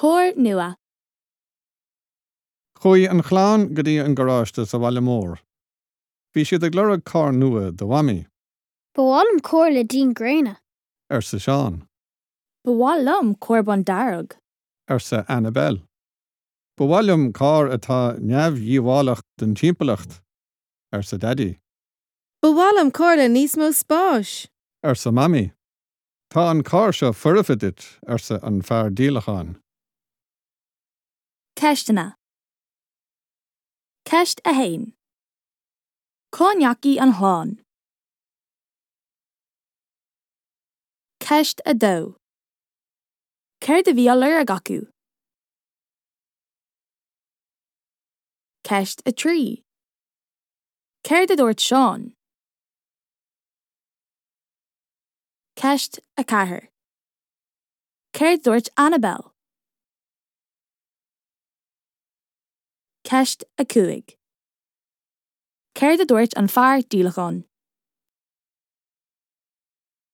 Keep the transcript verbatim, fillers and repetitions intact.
Carr nua. Chuaigh an chlann go dtí an garáiste sa bhaile mór. Bhí siad ag lorg carr nua do Mhamaí, Ba mhaith liom carr le díon gréine. arsa Seán, Ba mhaith liom carr bándearg. arsa Annabel. Ba mhaith liom carr atá neamhdhíobhálach don timpeallacht, arsa Daidí, Ba mhaith liom carr le níos mó spáis. arsa Mamaí. Tá an carr seo foirfe duit, arsa an fear díolacháin. Ceisteanna. Ceist a haon. Cá ndeachaigh an chlann? Ceist a dó. Céard a bhí á lorg acu? Ceist a trí. Céard a dúirt Seán? Ceist a ceathair. Céard a dúirt Annabel? Ceist a cúig. Céard a dúirt an fear díolacháin?